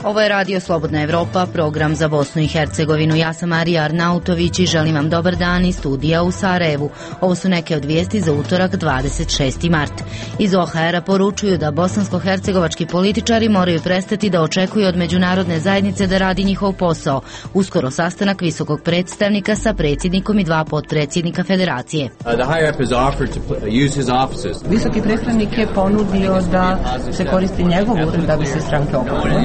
Ovo je Radio Slobodna Evropa, program za Bosnu i Hercegovinu. Ja sam Marija Arnautović i želim vam dobar dan iz studija u Sarajevu. Ovo su neke od vijesti za utorak 26. mart. Iz OHR-a poručuju da bosansko-hercegovački političari moraju prestati da očekuju od međunarodne zajednice da radi njihov posao. Uskoro sastanak visokog predstavnika sa predsjednikom i 2 potpredsjednika federacije. Visoki predstavnik je ponudio da se koristi njegov ured da bi se stranke okupile.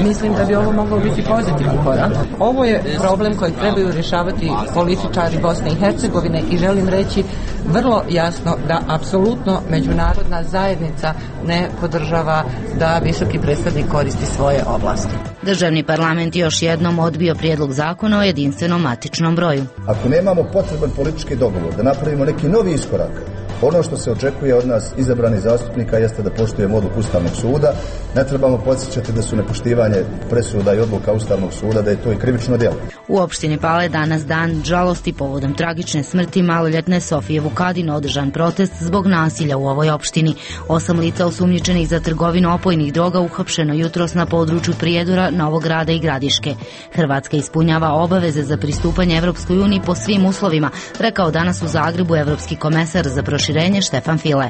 Mislim da bi ovo moglo biti pozitivan korak. Ovo je problem koji trebaju rješavati političari Bosne i Hercegovine i želim reći vrlo jasno da apsolutno međunarodna zajednica ne podržava da visoki predstavnik koristi svoje ovlasti. Državni parlament još jednom odbio prijedlog zakona o jedinstvenom matičnom broju. Ako nemamo potreban politički dogovor da napravimo neki novi iskorak, ono što se očekuje od nas izabranih zastupnika jeste da poštujemo odluku Ustavnog suda. Ne trebamo podsjećati da su nepoštivanje presuda i odluka Ustavnog suda, da je to i krivično djelo. U opštini Pale danas dan žalosti povodom tragične smrti maloljetne Sofije Vukadin održan protest zbog nasilja u ovoj opštini. 8 lica osumnjičenih za trgovinu opojnih droga uhapšeno jutros na području Prijedora, Novog Grada i Gradiške. Hrvatska ispunjava obaveze za pristupanje Evropskoj uniji po svim uslovima, rekao danas u Zagrebu evropski komesar za proširenje Štefan File.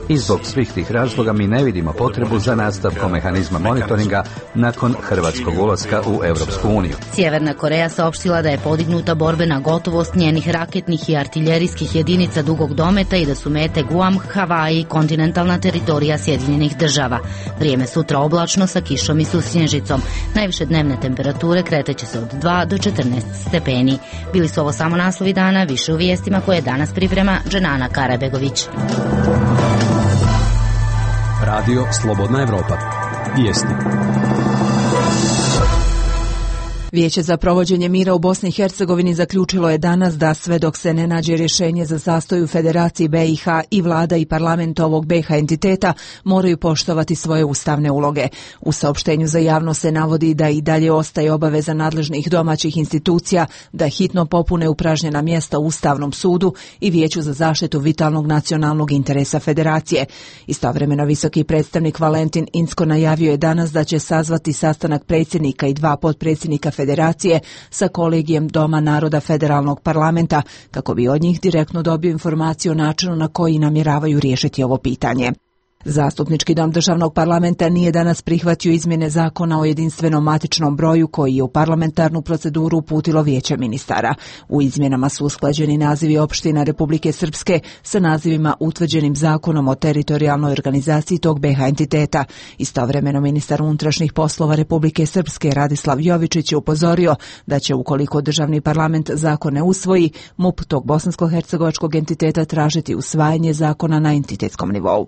I zbog svih tih razloga mi ne vidimo potrebu za nastavkom mehanizma monitoringa nakon hrvatskog ulaska u Europsku uniju. Sjeverna Koreja saopštila da je podignuta borbena gotovost njenih raketnih i artiljerijskih jedinica dugog dometa i da su mete Guam, Havaji i kontinentalna teritorija Sjedinjenih država. Vrijeme sutra oblačno sa kišom i susnježicom. Najviše dnevne temperature kreteće se od 2 do 14 stepeni. Bili su ovo samo naslovi dana, više u vijestima koje danas priprema Dženana Karabegović. Radio Slobodna Evropa. Vijesti. Vijeće za provođenje mira u Bosni i Hercegovini zaključilo je danas da sve dok se ne nađe rješenje za zastoj u Federaciji BiH i vlada i parlament ovog BiH entiteta moraju poštovati svoje ustavne uloge. U saopštenju za javnost se navodi da i dalje ostaje obaveza nadležnih domaćih institucija da hitno popune upražnjena mjesta u Ustavnom sudu i Vijeću za zaštitu vitalnog nacionalnog interesa Federacije. Istovremeno visoki predstavnik Valentin Incko najavio je danas da će sazvati sastanak predsjednika i 2 potpredsjednika Federacije sa kolegijem Doma naroda Federalnog parlamenta kako bi od njih direktno dobio informaciju o načinu na koji namjeravaju riješiti ovo pitanje. Zastupnički dom državnog parlamenta nije danas prihvatio izmjene zakona o jedinstvenom matičnom broju koji je u parlamentarnu proceduru uputilo Vijeće ministara. U izmjenama su usklađeni nazivi opština Republike Srpske sa nazivima utvrđenim zakonom o teritorijalnoj organizaciji tog BiH entiteta. Istovremeno ministar unutrašnjih poslova Republike Srpske Radislav Jovičić je upozorio da će ukoliko državni parlament zakon ne usvoji, MUP tog bosansko-hercegovačkog entiteta tražiti usvajanje zakona na entitetskom nivou.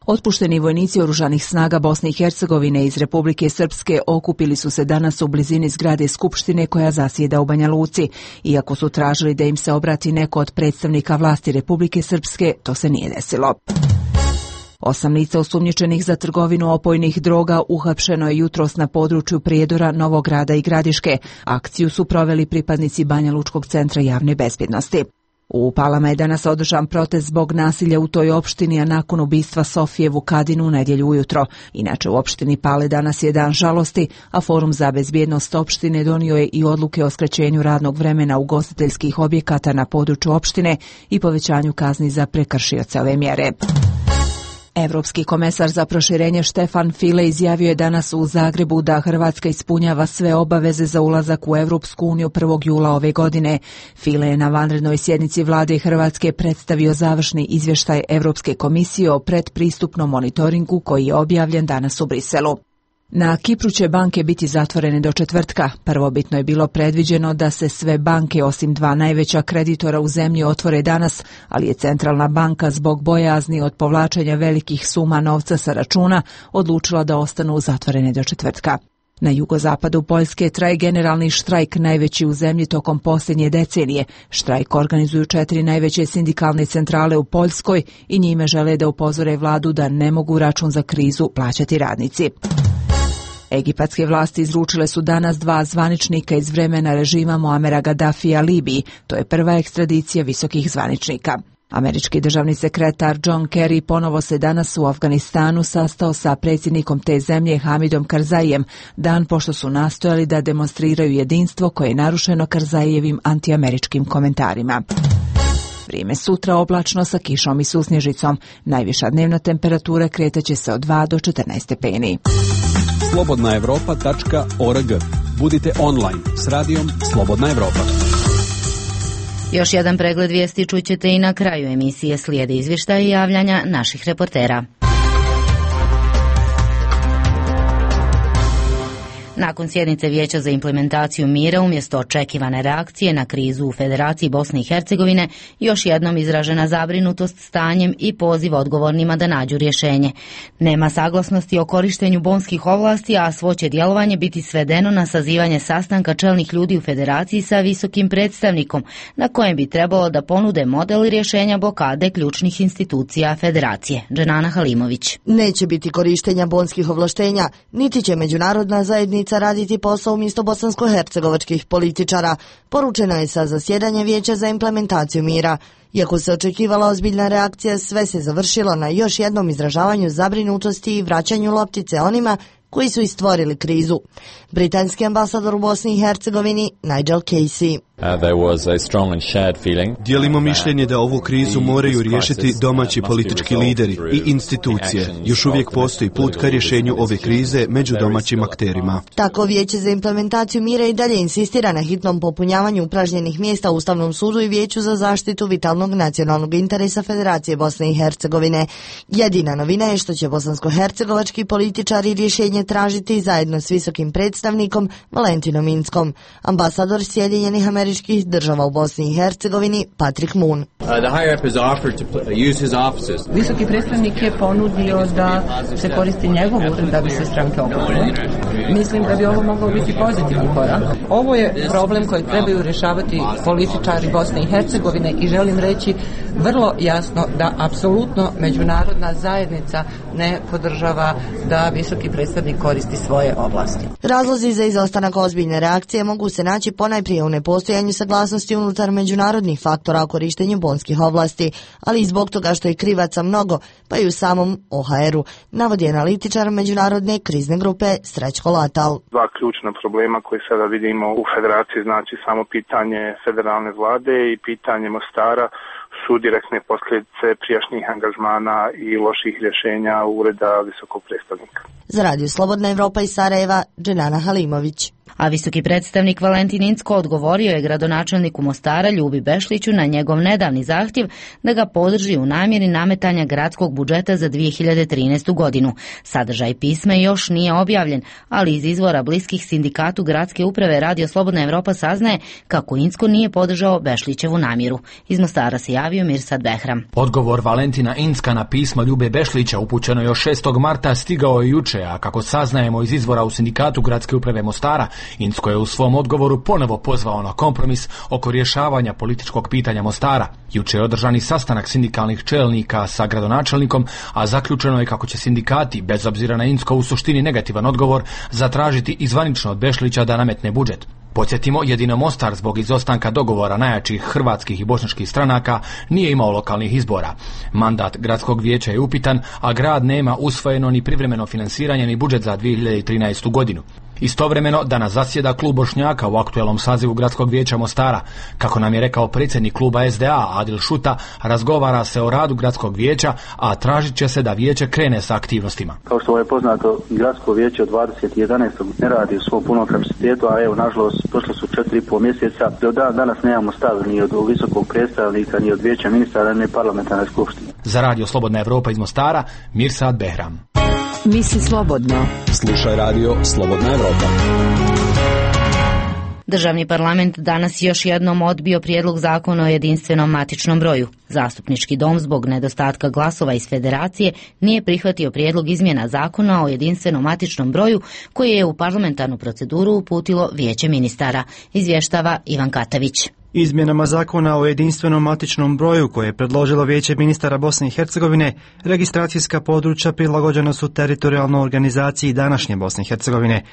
Otpušteni vojnici oružanih snaga Bosne i Hercegovine iz Republike Srpske okupili su se danas u blizini zgrade Skupštine koja zasjeda u Banja Luci. Iako su tražili da im se obrati neko od predstavnika vlasti Republike Srpske, to se nije desilo. 8 lica osumnjičenih za trgovinu opojnih droga uhapšeno je jutros na području Prijedora, Novog Grada i Gradiške. Akciju su proveli pripadnici Banja Lučkog centra javne bezbjednosti. U Palama je danas održan protest zbog nasilja u toj opštini, a nakon ubistva Sofije Vukadin u nedjelju ujutro. Inače u opštini Pale danas je dan žalosti, a Forum za bezbjednost opštine donio je i odluke o skraćenju radnog vremena ugostiteljskih objekata na području opštine i povećanju kazni za prekršioce ove mjere. Evropski komesar za proširenje Štefan File izjavio je danas u Zagrebu da Hrvatska ispunjava sve obaveze za ulazak u Evropsku uniju 1. jula ove godine. File je na vanrednoj sjednici vlade Hrvatske predstavio završni izvještaj Evropske komisije o predpristupnom monitoringu koji je objavljen danas u Briselu. Na Kipru će banke biti zatvorene do četvrtka. Prvobitno je bilo predviđeno da se sve banke osim 2 najveća kreditora u zemlji otvore danas, ali je centralna banka zbog bojazni od povlačenja velikih suma novca sa računa odlučila da ostanu zatvorene do četvrtka. Na jugozapadu Poljske traje generalni štrajk, najveći u zemlji tokom posljednje decenije. Štrajk organizuju 4 najveće sindikalne centrale u Poljskoj i njime žele da upozore vladu da ne mogu račun za krizu plaćati radnici. Egipatske vlasti izručile su danas 2 zvaničnika iz vremena režima Muamera Gaddafija Libiji. To je prva ekstradicija visokih zvaničnika. Američki državni sekretar John Kerry ponovo se danas u Afganistanu sastao sa predsjednikom te zemlje Hamidom Karzaijem, dan pošto su nastojali da demonstriraju jedinstvo koje je narušeno Karzajijevim antiameričkim komentarima. Vrijeme sutra oblačno sa kišom i susnježicom. Najviša dnevna temperatura kretaće se od 2 do 14 stepeni. slobodnaevropa.org. Budite online s radijom Slobodna Evropa. Još jedan pregled vijesti čućete i na kraju emisije. Slijede izvještaji i javljanja naših reportera. Nakon sjednice Vijeća za implementaciju mira, umjesto očekivane reakcije na krizu u Federaciji Bosne i Hercegovine, još jednom izražena zabrinutost stanjem i poziv odgovornima da nađu rješenje. Nema saglasnosti o korištenju bonskih ovlasti, a svo će djelovanje biti svedeno na sazivanje sastanka čelnih ljudi u Federaciji sa visokim predstavnikom, na kojem bi trebalo da ponude model rješenja blokade ključnih institucija Federacije. Dženana Halimović. Neće biti korištenja bonskih ovlaštenja, niti će međunarodna zajednica raditi posao umjesto bosansko-hercegovačkih političara, poručeno je sa zasjedanja Vijeća za implementaciju mira. Iako se očekivala ozbiljna reakcija, sve se završilo na još jednom izražavanju zabrinutosti i vraćanju loptice onima koji su istvorili krizu. Britanski ambasador u Bosni i Hercegovini Nigel Casey. Dijelimo mišljenje da ovu krizu moraju riješiti domaći politički lideri i institucije. Još uvijek postoji put ka rješenju ove krize među domaćim akterima. Tako Vijeće za implementaciju mira i dalje insistira na hitnom popunjavanju upražnjenih mjesta u Ustavnom sudu i Vijeću za zaštitu vitalnog nacionalnog interesa Federacije Bosne i Hercegovine. Jedina novina je što će bosansko-hercegovački političari rješenje tražiti zajedno s visokim predstavnikom Valentinom Inckom. Ambasador Sjedinjenih Američkih Država u Bosni i Hercegovini Patrick Moon. Visoki predstavnik je ponudio da se koristi njegov ured da bi se stranke okupile. Mislim da bi ovo moglo biti pozitivan korak. Ovo je problem koji trebaju rješavati političari Bosne i Hercegovine i želim reći vrlo jasno da apsolutno međunarodna zajednica ne podržava da visoki predstavnik koristi svoje ovlasti. Razlozi za izostanak ozbiljne reakcije mogu se naći ponajprije u nepostojanju saglasnosti unutar međunarodnih faktora o korištenju bonskih ovlasti, ali i zbog toga što je krivaca mnogo, pa i u samom OHR-u, navodi analitičar međunarodne krizne grupe Srećko Latal. Dva ključna problema koje sada vidimo u Federaciji, znači samo pitanje federalne vlade i pitanje Mostara, su direktne posljedice prijašnjih angažmana i loših rješenja Ureda visokog predstavnika. Za Radio Slobodna Evropa iz Sarajeva, Dženana Halimović. A visoki predstavnik Valentin Incko odgovorio je gradonačelniku Mostara Ljubi Bešliću na njegov nedavni zahtjev da ga podrži u namjeri nametanja gradskog budžeta za 2013. godinu. Sadržaj pisma još nije objavljen, ali iz izvora bliskih sindikatu gradske uprave Radio Slobodna Evropa saznaje kako Incko nije podržao Bešlićevu namjeru. Iz Mostara se javio Mirsad Behram. Odgovor Valentina Incka na pismo Ljube Bešlića upućeno još 6. marta stigao je juče, a kako saznajemo iz izvora u sindikatu gradske uprave Mostara, Incko je u svom odgovoru ponovo pozvao na kompromis oko rješavanja političkog pitanja Mostara. Juče je održani sastanak sindikalnih čelnika sa gradonačelnikom, a zaključeno je kako će sindikati, bez obzira na Incko u suštini negativan odgovor, zatražiti izvanično od Bešlića da nametne budžet. Podsjetimo, jedino Mostar zbog izostanka dogovora najjačih hrvatskih i bošnjačkih stranaka nije imao lokalnih izbora. Mandat gradskog vijeća je upitan, a grad nema usvojeno ni privremeno finansiranje ni budžet za 2013. godinu. Istovremeno danas zasjeda klub Bošnjaka u aktuelnom sazivu gradskog vijeća Mostara. Kako nam je rekao predsjednik kluba SDA Adil Šuta, razgovara se o radu gradskog vijeća, a tražit će se da vijeće krene sa aktivnostima. Kao što je poznato, gradsko vijeće od 20.11. ne radi u svom punom kapacitetu, a evo, nažalost, prošlo su 4,5 mjeseca. Do danas nemamo stav ni od visokog predstavnika, ni od vijeća ministara, ni parlamentarne skupštine. Za Radio Slobodna Evropa iz Mostara, Mirsad Behram. Misli slobodno. Slušaj Radio Slobodna Evropa. Državni parlament danas još jednom odbio prijedlog zakona o jedinstvenom matičnom broju. Zastupnički dom zbog nedostatka glasova iz Federacije nije prihvatio prijedlog izmjena zakona o jedinstvenom matičnom broju koji je u parlamentarnu proceduru uputilo Vijeće ministara, izvještava Ivan Katavić. Izmjenama zakona o jedinstvenom matičnom broju koje je predložilo Vijeće ministara Bosne i Hercegovine, registracijska područja prilagođena su teritorijalnoj organizaciji današnje Bosne i Hercegovine.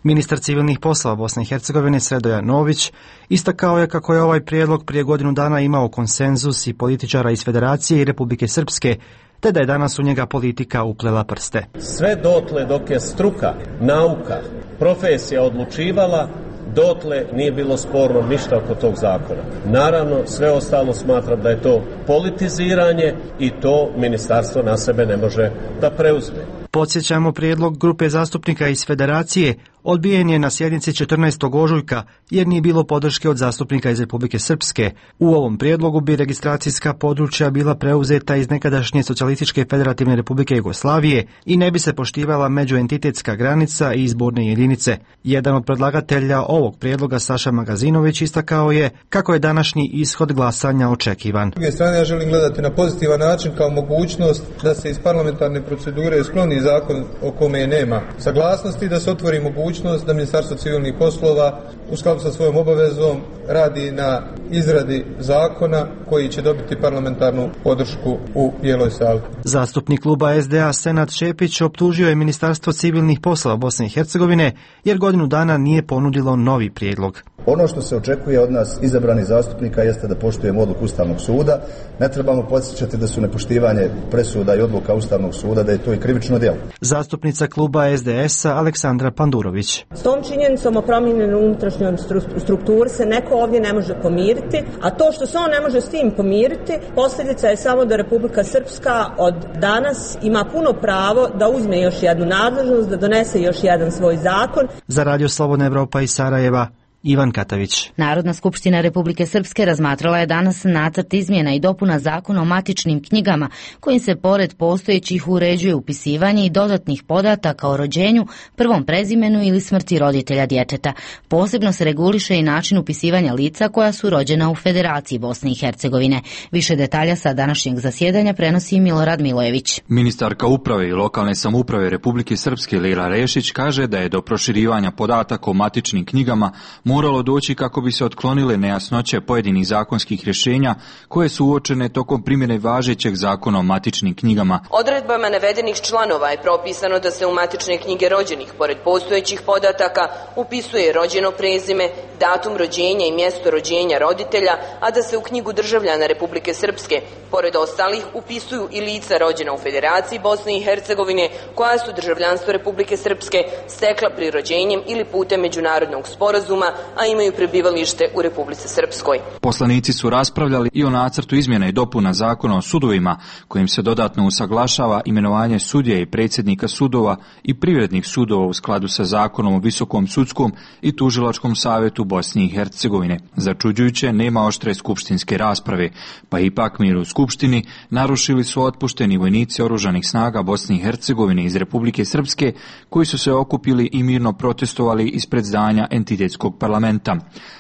Ministar civilnih poslova Bosne i Hercegovine Sredoja Nović istakao je kako je ovaj prijedlog prije godinu dana imao konsenzus i političara iz Federacije i Republike Srpske, te da je danas u njega politika uplela prste. Sve dotle dok je struka, nauka, profesija odlučivala, dotle nije bilo sporno ništa oko tog zakona. Naravno, sve ostalo smatram da je to politiziranje i to ministarstvo na sebe ne može da preuzme. Podsjećamo, prijedlog grupe zastupnika iz Federacije odbijen je na sjednici 14. ožujka jer nije bilo podrške od zastupnika iz Republike Srpske. U ovom prijedlogu bi registracijska područja bila preuzeta iz nekadašnje Socijalističke federativne Republike Jugoslavije i ne bi se poštivala međuentitetska granica i izborne jedinice. Jedan od predlagatelja ovog prijedloga, Saša Magazinović, istakao je kako je današnji ishod glasanja očekivan. S druge strane, ja želim gledati na pozitivan način kao mogućnost da se iz parlamentarne procedure skloni zakon o kome nema saglasnosti, da se otvori mogućnost da Ministarstvo civilnih poslova u skladu sa svojom obavezom radi na izradi zakona koji će dobiti parlamentarnu podršku u Bijeloj sali. Zastupnik kluba SDA Senad Šepić optužio je Ministarstvo civilnih poslova Bosne i Hercegovine jer godinu dana nije ponudilo novi prijedlog. Ono što se očekuje od nas izabranih zastupnika jeste da poštujemo odluku Ustavnog suda. Ne trebamo podsjećati da su nepoštivanje presuda i odluka Ustavnog suda, da je to i krivično djelo. Zastupnica kluba SDS-a Aleksandra Pandurović. S tom činjenicom o promijenjenoj unutrašnjoj strukturi se neko ovdje ne može pomiriti, a to što se on ne može s tim pomiriti, posljedica je samo da Republika Srpska od danas ima puno pravo da uzme još jednu nadležnost, da donese još jedan svoj zakon. Za Radio Slobodna Evropa iz Sarajeva, Ivan Katavić. Narodna skupština Republike Srpske razmatrala je danas nacrt izmjena i dopuna zakona o matičnim knjigama, kojim se pored postojećih uređuje upisivanje i dodatnih podataka o rođenju, prvom prezimenu ili smrti roditelja djeteta. Posebno se reguliše i način upisivanja lica koja su rođena u Federaciji Bosne i Hercegovine. Više detalja sa današnjeg zasjedanja prenosi Milorad Milojević. Ministarka uprave i lokalne samouprave Republike Srpske Lila Rešić kaže da je do proširivanja podataka o matičnim knjigama moralo doći kako bi se otklonile nejasnoće pojedinih zakonskih rješenja koje su uočene tokom primjene važećeg zakona o matičnim knjigama. Odredbama navedenih članova je propisano da se u matične knjige rođenih, pored postojećih podataka, upisuje rođeno prezime, datum rođenja i mjesto rođenja roditelja, a da se u knjigu državljana Republike Srpske, pored ostalih, upisuju i lica rođena u Federaciji Bosne i Hercegovine koja su državljanstvo Republike Srpske stekla prirođenjem ili putem međunarodnog sporazuma, a imaju prebivalište u Republici Srpskoj. Poslanici su raspravljali i o nacrtu izmjena i dopuna zakona o sudovima, kojim se dodatno usaglašava imenovanje sudija i predsjednika sudova i privrednih sudova u skladu sa zakonom o Visokom sudskom i tužilačkom savjetu Bosne i Hercegovine. Začuđujuće, nema oštre skupštinske rasprave, pa ipak mir u skupštini narušili su otpušteni vojnici oružanih snaga Bosne i Hercegovine iz Republike Srpske, koji su se okupili i mirno protestovali ispred zdanja entitetskog parlamenta.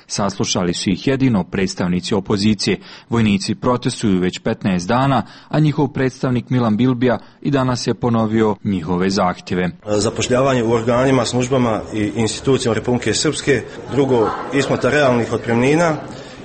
Saslušali su ih jedino predstavnici opozicije. Vojnici protestuju već 15 dana, a njihov predstavnik Milan Bilbija i danas je ponovio njihove zahtjeve. Zapošljavanje u organima, službama i institucijama Republike Srpske, drugo, isplata realnih otpremnina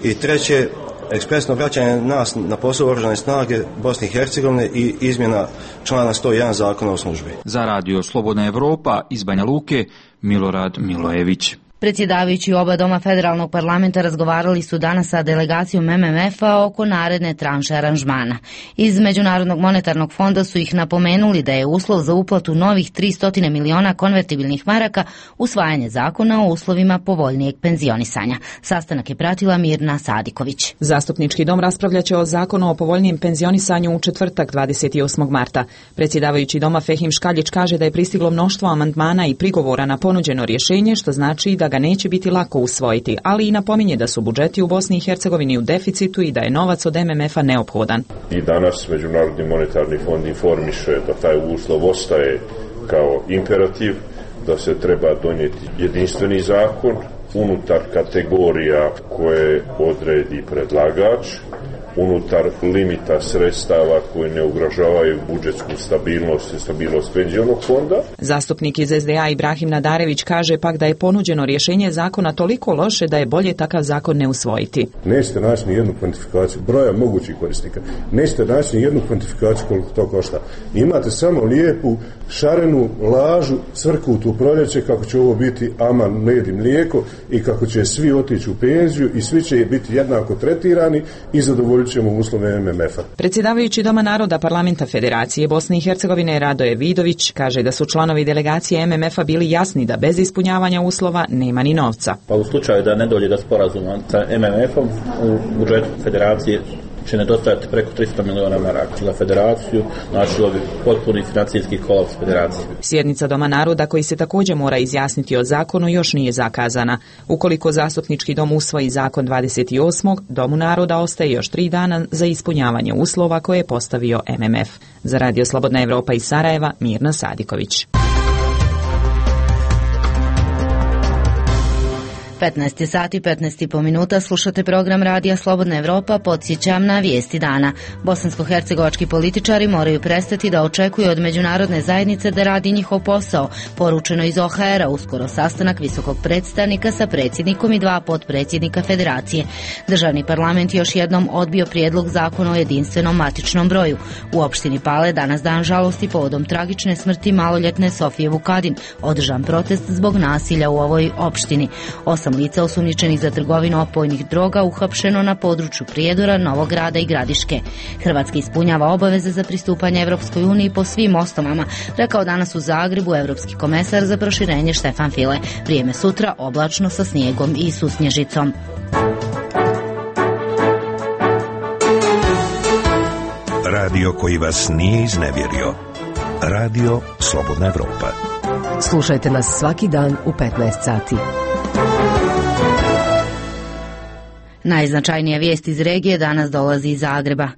i treće, ekspresno vraćanje nas na posao oružane snage Bosne i Hercegovine i izmjena člana 101 zakona o službi. Za Radio Slobodna Evropa iz Banja Luke, Milorad Milojević. Predsjedavajući oba doma federalnog parlamenta razgovarali su danas sa delegacijom MMF-a oko naredne tranše aranžmana. Iz Međunarodnog monetarnog fonda su ih napomenuli da je uslov za uplatu novih 300 miliona konvertibilnih maraka usvajanje zakona o uslovima povoljnijeg penzionisanja. Sastanak je pratila Mirna Sadiković. Zastupnički dom raspravljaće o zakonu o povoljnijem penzionisanju u četvrtak 28. marta. Predsjedavajući doma Fehim Škaljić kaže da je pristiglo mnoštvo amandmana i prigovora na ponuđeno rješenje, što znači da ga neće biti lako usvojiti, ali i napominje da su budžeti u Bosni i Hercegovini u deficitu i da je novac od MMF-a neophodan. I danas Međunarodni monetarni fond informiše da taj uslov ostaje kao imperativ, da se treba donijeti jedinstveni zakon unutar kategorija koje odredi predlagač unutar limita sredstava koji ne ugrožavaju budžetsku stabilnost i stabilnost penzionog fonda. Zastupnik iz SDA Ibrahim Nadarević kaže pak da je ponuđeno rješenje zakona toliko loše da je bolje takav zakon ne usvojiti. Nećete naći ni jednu kvantifikaciju broja mogućih korisnika. Nećete naći ni jednu kvantifikaciju koliko to košta. Imate samo lijepu, šarenu, lažu, crkutu proljeće kako će ovo biti aman, med i mlijeko i kako će svi otići u penziju i svi će biti jednako tretirani i zadovoljit ćemo uslove MMF-a. Predsjedavajući Doma naroda Parlamenta Federacije Bosne i Hercegovine Radoje Vidović kaže da su članovi delegacije MMF-a bili jasni da bez ispunjavanja uslova nema ni novca. Pa u slučaju da ne dođe do sporazuma sa MMF-om u budžetu Federacije će nedostajati preko 300 miliona maraka za federaciju, značilo bi potpuni financijski kolaps federacije. Sjednica Doma naroda koji se također mora izjasniti o zakonu još nije zakazana. Ukoliko zastupnički dom usvoji zakon 28. Domu naroda ostaje još 3 dana za ispunjavanje uslova koje je postavio MMF. Za Radio Slobodna Evropa iz Sarajeva, Mirna Sadiković. 15 sati, 15,5 minuta, slušate program Radija Slobodna Evropa, podsjećam na vijesti dana. Bosansko-hercegovački političari moraju prestati da očekuju od međunarodne zajednice da radi njihov posao. Poručeno iz OHR-a, uskoro sastanak visokog predstavnika sa predsjednikom i 2 potpredsjednika federacije. Državni parlament još jednom odbio prijedlog zakona o jedinstvenom matičnom broju. U opštini Pale danas dan žalosti povodom tragične smrti maloljetne Sofije Vukadin, održan protest zbog nasilja u ovoj opštini. 8 lica osumnjičenih za trgovinu opojnih droga uhapšeno na području Prijedora, Novog Grada i Gradiške. Hrvatska ispunjava obaveze za pristupanje Evropskoj uniji po svim osnovama, rekao danas u Zagrebu evropski komesar za proširenje Štefan File. Vrijeme sutra oblačno sa snijegom i susnježicom. Radio koji vas nije iznevjerio. Radio Slobodna Evropa. Slušajte nas svaki dan u 15 sati. Najznačajnija vijest iz regije danas dolazi iz Zagreba.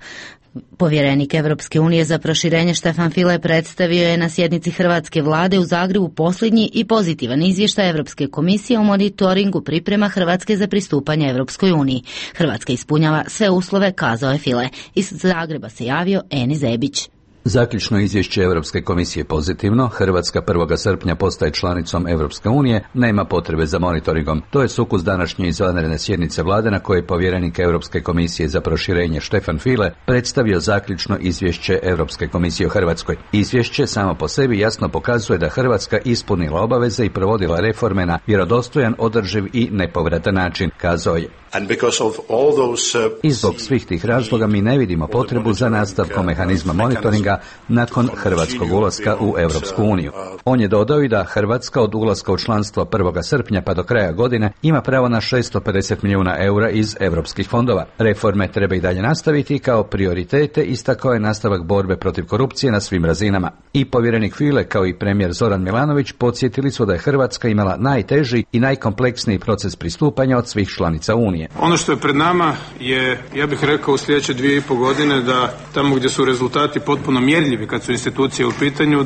Povjerenik Evropske unije za proširenje Štefan File predstavio je na sjednici hrvatske vlade u Zagrebu posljednji i pozitivan izvještaj Evropske komisije o monitoringu priprema Hrvatske za pristupanje Evropskoj uniji. Hrvatska ispunjava sve uslove, kazao je File. Iz Zagreba se javio Eni Zebić. Zaključno izvješće Europske komisije pozitivno, Hrvatska 1. srpnja postaje članicom Europske unije, nema potrebe za monitoringom. To je sukus današnje izvanredne sjednice vlade na kojoj je povjerenik Europske komisije za proširenje Štefan File predstavio zaključno izvješće Europske komisije o Hrvatskoj. Izvješće samo po sebi jasno pokazuje da Hrvatska ispunila obaveze i provodila reforme na vjerodostojan, održiv i nepovratan način, kazao je. I zbog svih tih razloga mi ne vidimo potrebu za nastavkom mehanizma monitoringa nakon hrvatskog ulaska u Europsku uniju. On je dodao i da Hrvatska od ulaska u članstvo 1. srpnja pa do kraja godine ima pravo na 650 milijuna eura iz europskih fondova. Reforme treba i dalje nastaviti kao prioritete, istakao je nastavak borbe protiv korupcije na svim razinama. I povjerenik File kao i premijer Zoran Milanović podsjetili su da je Hrvatska imala najteži i najkompleksniji proces pristupanja od svih članica Unije. Ono što je pred nama je, ja bih rekao, u sljedeće 2,5 godine da tamo gdje su rezultati potpuno mjerljivi kad su institucije u pitanju,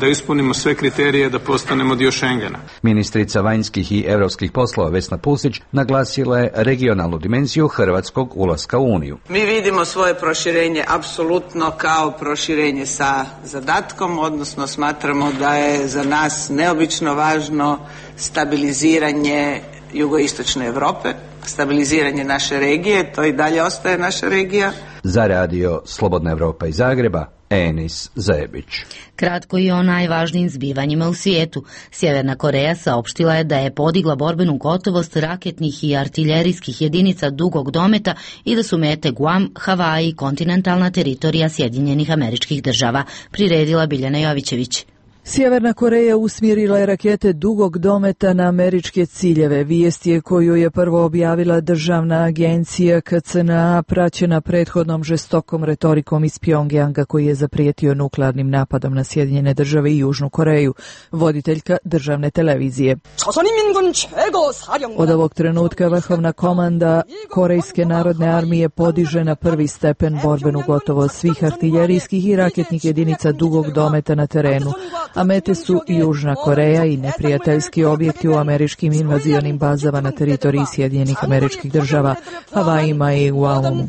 da ispunimo sve kriterije da postanemo dio Schengena. Ministrica vanjskih i europskih poslova Vesna Pusić naglasila je regionalnu dimenziju hrvatskog ulaska u Uniju. Mi vidimo svoje proširenje apsolutno kao proširenje sa zadatkom, odnosno smatramo da je za nas neobično važno stabiliziranje jugoistočne Europe, stabiliziranje naše regije, to i dalje ostaje naša regija. Za Radio Slobodna Evropa iz Zagreba, Enis Zebić. Kratko i o najvažnijim zbivanjima u svijetu. Sjeverna Koreja saopštila je da je podigla borbenu gotovost raketnih i artiljerijskih jedinica dugog dometa i da su mete Guam, Havaji i kontinentalna teritorija Sjedinjenih Američkih Država, priredila Biljana Jovićević. Sjeverna Koreja usmjerila je rakete dugog dometa na američke ciljeve. Vijest je koju je prvo objavila državna agencija KCNA, praćena prethodnom žestokom retorikom iz Pjongjanga koji je zaprijetio nuklearnim napadom na Sjedinjene Države i Južnu Koreju. Voditeljka državne televizije. Od ovog trenutka vrhovna komanda Korejske narodne armije podiže na prvi stepen borbenu gotovost svih artiljerijskih i raketnih jedinica dugog dometa na terenu. a mete su Južna Koreja i neprijateljski objekti u američkim invazionim bazama na teritoriji Sjedinjenih Američkih Država, Havajima i Guamu.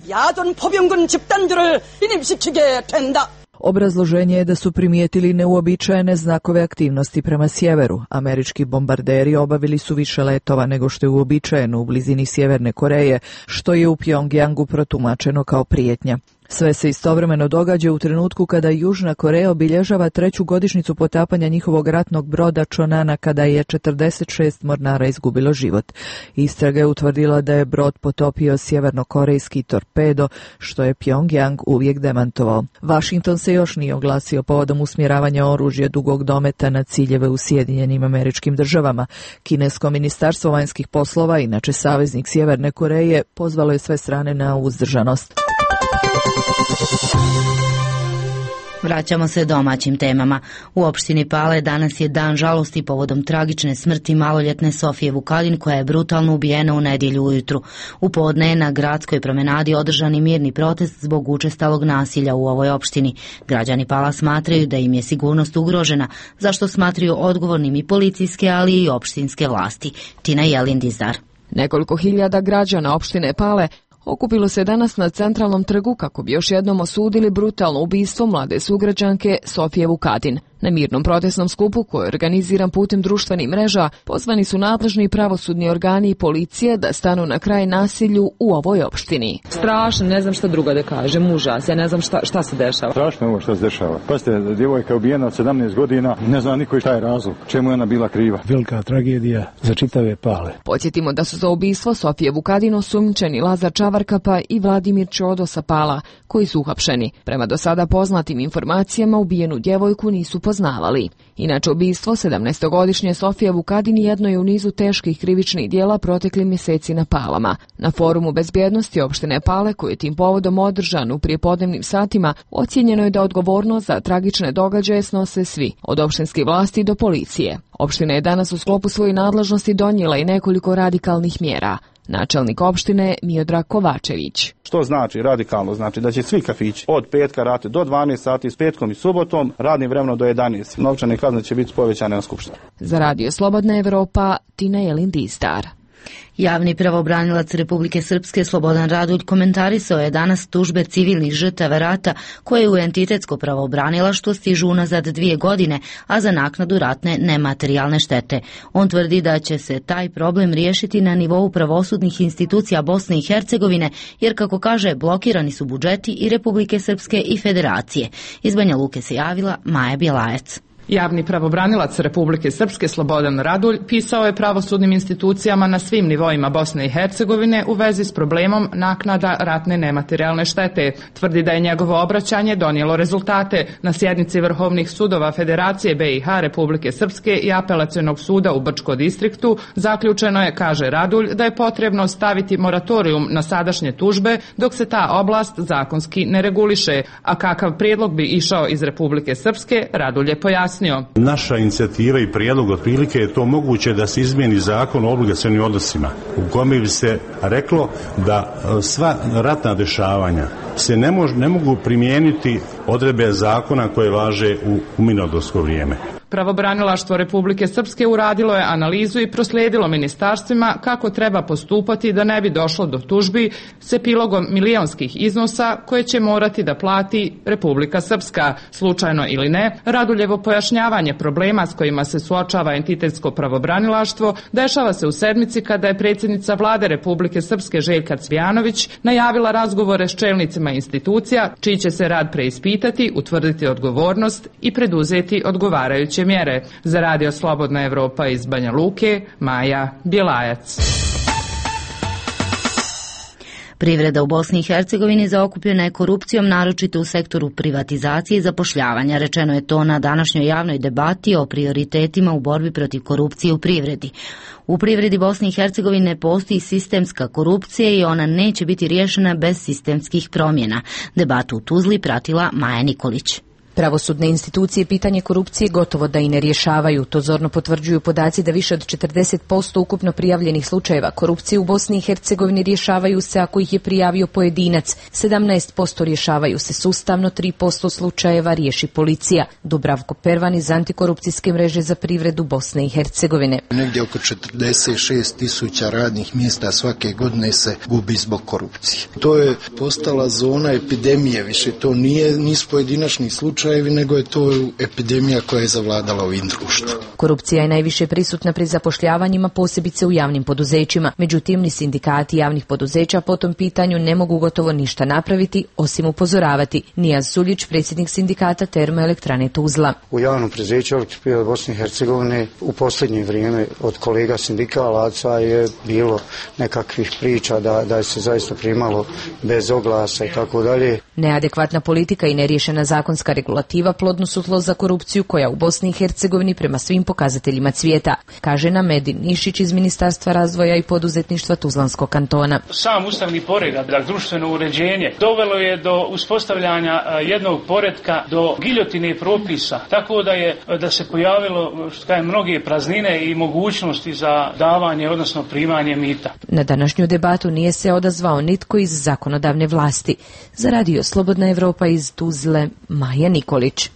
Obrazloženje je da su primijetili neuobičajene znakove aktivnosti prema sjeveru. Američki bombarderi obavili su više letova nego što je uobičajeno u blizini Sjeverne Koreje, što je u Pjongjangu protumačeno kao prijetnja. Sve se istovremeno događa u trenutku kada Južna Koreja obilježava 3. godišnjicu potapanja njihovog ratnog broda Chonana, kada je 46 mornara izgubilo život. Istraga je utvrdila da je brod potopio sjevernokorejski torpedo, što je Pjongjang uvijek demantovao. Washington se još nije oglasio povodom usmjeravanja oružja dugog dometa na ciljeve u Sjedinjenim Američkim Državama. Kinesko ministarstvo vanjskih poslova, inače saveznik Sjeverne Koreje, pozvalo je sve strane na uzdržanost. Vraćamo se domaćim temama. U opštini Pale danas je dan žalosti povodom tragične smrti maloljetne Sofije Vukadin, koja je brutalno ubijena u nedjelju ujutru. U podne je na gradskoj promenadi održani mirni protest zbog učestalog nasilja u ovoj opštini. Građani Pala smatraju da im je sigurnost ugrožena, zašto smatraju odgovornim i policijske, ali i opštinske vlasti. Tina Jelindizar. Nekoliko hiljada građana opštine Pale okupilo se danas na centralnom trgu kako bi još jednom osudili brutalno ubistvo mlade sugrađanke Sofije Vukadin. Na mirnom protestnom skupu, koji je organiziran putem društvenih mreža, pozvani su nadležni pravosudni organi i policije da stanu na kraj nasilju u ovoj opštini. Strašno, ne znam šta drugo da kažem, užas, ja ne znam šta se dešava. Strašno ovo što se dešava. Pazite, djevojka je ubijena od 17 godina, ne zna niko šta je razlog, čemu je ona bila kriva. Velika tragedija za čitave Pale. Podsjetimo da su za ubistvo Sofije Vukadin osumnjičeni Lazar Čavarkapa i Vladimir Čodo sa Pala, koji su uhapšeni. Prema do sada poznatim informacijama, ubijenu djevojku nisu poznavali. Inače, ubistvo 17-godišnje Sofije Vukadin jedno je u nizu teških krivičnih dijela protekli mjeseci na Palama. Na forumu bezbjednosti opštine Pale, koji je tim povodom održan u prijepodnevnim satima, ocijenjeno je da odgovornost za tragične događaje snose svi, od opštinskih vlasti do policije. Opština je danas u sklopu svoje nadležnosti donijela i nekoliko radikalnih mjera. Načelnik opštine Miodrag Kovačević. Što znači radikalno? Znači da će svi kafići od petka raditi do 12 sati, s petkom i subotom, radnim vremenom do 11. Novčane kazne će biti povećane na skupštini. Za Radio Slobodna Evropa, Tina Jelindistar. Javni pravobranilac Republike Srpske Slobodan Radulj komentarisao je danas tužbe civilnih žrtava rata koje u entitetsko pravobranilaštvo stižu unazad 2 godine, a za naknadu ratne nematerijalne štete. On tvrdi da će se taj problem riješiti na nivou pravosudnih institucija Bosne i Hercegovine, jer, kako kaže, blokirani su budžeti i Republike Srpske i Federacije. Iz Banja Luke se javila Maja Bjelajac. Javni pravobranilac Republike Srpske Slobodan Radulj pisao je pravosudnim institucijama na svim nivoima Bosne i Hercegovine u vezi s problemom naknada ratne nematerijalne štete. Tvrdi da je njegovo obraćanje donijelo rezultate. Na sjednici Vrhovnih sudova Federacije BiH, Republike Srpske i Apelacionog suda u Brčkom distriktu zaključeno je, kaže Radulj, da je potrebno staviti moratorijum na sadašnje tužbe dok se ta oblast zakonski ne reguliše. A kakav prijedlog bi išao iz Republike Srpske, Radulj je pojasnio. Naša inicijativa i prijedlog otprilike je to moguće da se izmijeni zakon o obligacionim odnosima u kome bi se reklo da sva ratna dešavanja se ne mogu primijeniti odredbe zakona koje važe u mirnodopsko vrijeme. Pravobranilaštvo Republike Srpske uradilo je analizu i proslijedilo ministarstvima kako treba postupati da ne bi došlo do tužbi s epilogom milionskih iznosa koje će morati da plati Republika Srpska. Slučajno ili ne, Raduljevo pojašnjavanje problema s kojima se suočava entitetsko pravobranilaštvo dešava se u sedmici kada je predsjednica Vlade Republike Srpske Željka Cvijanović najavila razgovore s čelnicima institucija, čiji će se rad preispitati, utvrditi odgovornost i preduzeti odgovarajuće mjere. Za Radio Slobodna Evropa iz Banja Luke, Maja Bjelajac. Privreda u Bosni i Hercegovini zaokupljena je korupcijom, naročito u sektoru privatizacije i zapošljavanja. Rečeno je to na današnjoj javnoj debati o prioritetima u borbi protiv korupcije u privredi. U privredi Bosne i Hercegovine postoji sistemska korupcija i ona neće biti riješena bez sistemskih promjena. Debatu u Tuzli pratila Maja Nikolić. Pravosudne institucije pitanje korupcije gotovo da i ne rješavaju. To zorno potvrđuju podaci da više od 40% ukupno prijavljenih slučajeva korupcije u Bosni i Hercegovini rješavaju se ako ih je prijavio pojedinac. 17% rješavaju se sustavno, 3% slučajeva riješi policija. Dubravko Pervan iz Antikorupcijske mreže za privredu Bosne i Hercegovine. Negdje oko 46.000 radnih mjesta svake godine se gubi zbog korupcije. To je postala zona epidemije, više to nisu pojedinačni slučajevi, nego je to epidemija koja je zavladala ovim društvom. Korupcija je najviše prisutna pri zapošljavanjima, posebice u javnim poduzećima. Međutim, ni sindikati javnih poduzeća po tom pitanju ne mogu gotovo ništa napraviti, osim upozoravati. Nijaz Suljić, predsjednik sindikata Termoelektrane Tuzla. U javnom preduzeću Elektroprivrede Bosne i Hercegovine u posljednje vrijeme od kolega sindikalaca je bilo nekakvih priča da se zaista primalo bez oglasa i tako dalje. Neadekvatna politika i neriješena zakonska regulativa plodno su tlo za korupciju koja u Bosni i Hercegovini prema svim pokazateljima cvijeta, kaže nam Medin Nišić iz Ministarstva razvoja i poduzetništva Tuzlanskog kantona. Sam ustavni poredak, društveno uređenje, dovelo je do uspostavljanja jednog poretka, do giljotine propisa, tako da se pojavilo mnoge praznine i mogućnosti za davanje, odnosno primanje mita. Na današnju debatu nije se odazvao nitko iz zakonodavne vlasti. Za Radio Slobodna Evropa iz Tuzle, Maja Nikolić.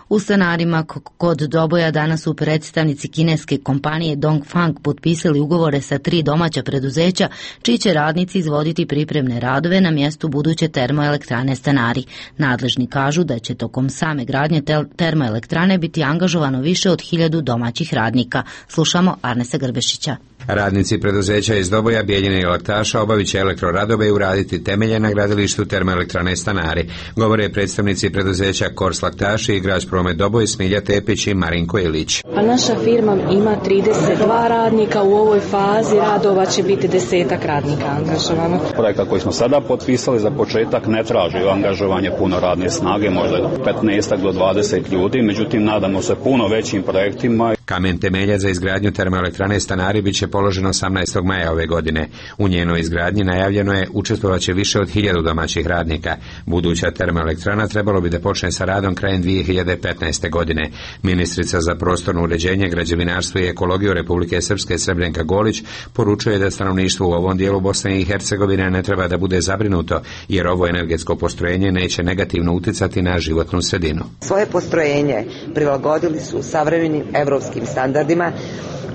U stanarima kod Doboja danas su predstavnici kineske kompanije Dongfang potpisali ugovore sa 3 domaća preduzeća, čiji će radnici izvoditi pripremne radove na mjestu buduće termoelektrane Stanari. Nadležni kažu da će tokom same gradnje termoelektrane biti angažovano više od 1000 domaćih radnika. Slušamo Arnesa Grbešića. Radnici preduzeća iz Doboja, Bijeljine i Laktaša obavit će elektroradove i uraditi temelje na gradilištu termoelektrane Stanari, govore predstavnici preduzeća Kors Laktaši, Igrač Promet Doboj, Smilja Tepić i Marinko Ilić. Pa naša firma ima 32 radnika, u ovoj fazi radova će biti 10 radnika angažovano. Projekat koji smo sada potpisali za početak ne traži angažovanje puno radne snage, možda 15 do 20 ljudi, međutim nadamo se puno većim projektima. Kamen temeljac za izgradnju termoelektrane Stanari bit će položeno 18. maja ove godine. U njenoj izgradnji najavljeno je učestvovaće više od 1000 domaćih radnika. Buduća termoelektrana trebalo bi da počne sa radom krajem 2015. godine. Ministrica za prostorno uređenje, građevinarstvo i ekologiju Republike Srpske Srebrnka Golić poručuje da stanovništvo u ovom dijelu Bosne i Hercegovine ne treba da bude zabrinuto, jer ovo energetsko postrojenje neće negativno uticati na životnu sredinu. Svoje postrojenje prilagodili su savremenim evropskim standardima,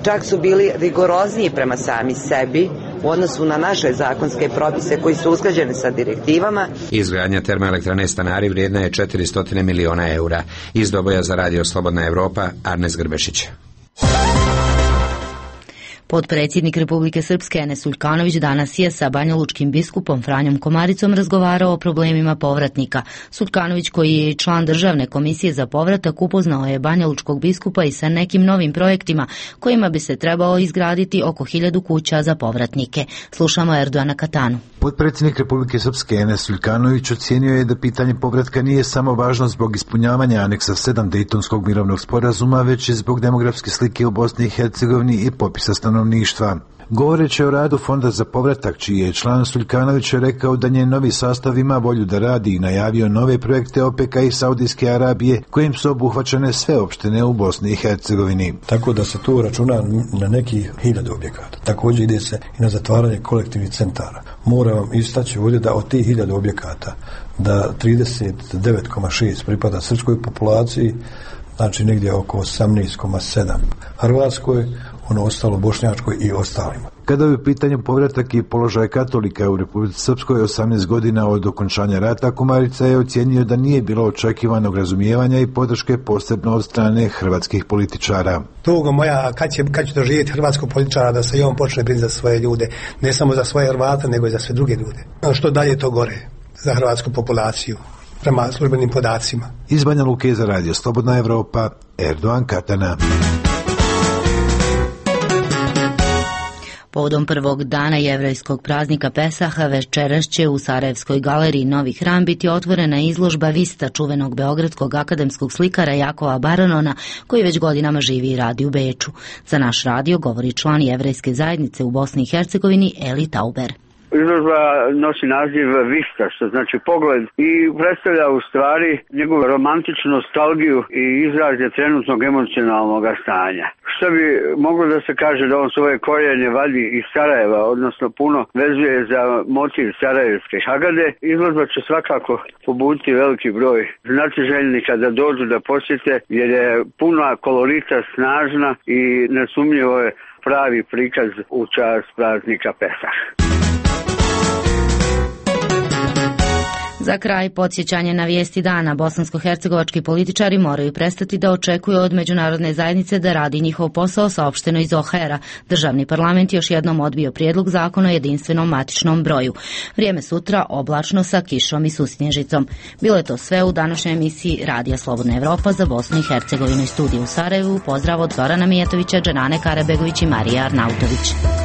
čak su bili rigorozniji prema sami sebi u odnosu na naše zakonske propise koji su usklađeni sa direktivama. Izgradnja termoelektrane Stanari vrijedna je 400 miliona eura. Iz Doboja za Radio Slobodna Evropa, Arnes Grbešić. Potpredsjednik Republike Srpske Enes Uljkanović danas je sa banjalučkim biskupom Franjom Komaricom razgovarao o problemima povratnika. Uljkanović, koji je i član Državne komisije za povratak, upoznao je banjalučkog biskupa i sa nekim novim projektima kojima bi se trebao izgraditi oko 1000 kuća za povratnike. Slušamo Erdoana Katanu. Potpredsjednik Republike Srpske Enes Uljkanović ocijenio je da pitanje povratka nije samo važno zbog ispunjavanja aneksa 7 Dejtonskog mirovnog sporazuma, već i zbog demografske slike u Bosni i Hercegovini i popisa stanovništva. Govoreći o radu Fonda za povratak, čiji je član, Uljkanović je rekao da njen novi sastav ima volju da radi i najavio nove projekte OPEC-a i Saudijske Arabije, kojim su obuhvaćene sve opštine u Bosni i Hercegovini. Tako da se tu računa na neki 1000 objekata. Također ide se i na zatvaranje kolektivnih centara. Moram vam istaći ovdje da od tih 1000 objekata da 39,6 pripada srpskoj populaciji, znači negdje oko 18,7 Hrvatskoj, ono ostalo Bošnjačkoj i ostalima. Kada je u pitanju povratak i položaj katolika u Republici Srpskoj 18 godina od okončanja rata, Komarica je ocijenio da nije bilo očekivanog razumijevanja i podrške posebno od strane hrvatskih političara. Tugo moja, kad će doživjeti hrvatskog političara da se i on počne brinuti za svoje ljude, ne samo za svoje Hrvate, nego i za sve druge ljude. Što dalje to gore za hrvatsku populaciju, prema službenim podacima. Iz Banja Luke za Radio Slobodna Evropa, Erdoan Katana. Povodom prvog dana jevrejskog praznika Pesaha večeras će u Sarajevskoj galeriji Novi Hram biti otvorena izložba Vista čuvenog beogradskog akademskog slikara Jakova Baranona, koji već godinama živi i radi u Beču. Za naš radio govori član jevrejske zajednice u Bosni i Hercegovini Eli Tauber. Izložba nosi naziv Vista, što znači pogled, i predstavlja u stvari njegovu romantičnu nostalgiju i izraz je trenutnog emocionalnog stanja. Što bi moglo da se kaže da on svoje korijene vadi iz Sarajeva, odnosno puno vezuje za motiv sarajevske Hagade. Izložba će svakako pobuditi veliki broj znatiželjnika da dođu da posjete, jer je puna kolorita, snažna i nesumnjivo je pravi prikaz u čast praznika Pesah. Za kraj podsjećanje na vijesti dana. Bosansko-hercegovački političari moraju prestati da očekuju od međunarodne zajednice da radi njihov posao, saopšteno iz OHR-a. Državni parlament još jednom odbio prijedlog zakona o jedinstvenom matičnom broju. Vrijeme sutra oblačno sa kišom i susnježicom. Bilo je to sve u današnjoj emisiji Radija Slobodna Evropa za Bosnu i Hercegovinu i studiju u Sarajevu. Pozdrav od Zorana Mijatovića, Dženane Karabegović i Marije Arnautović.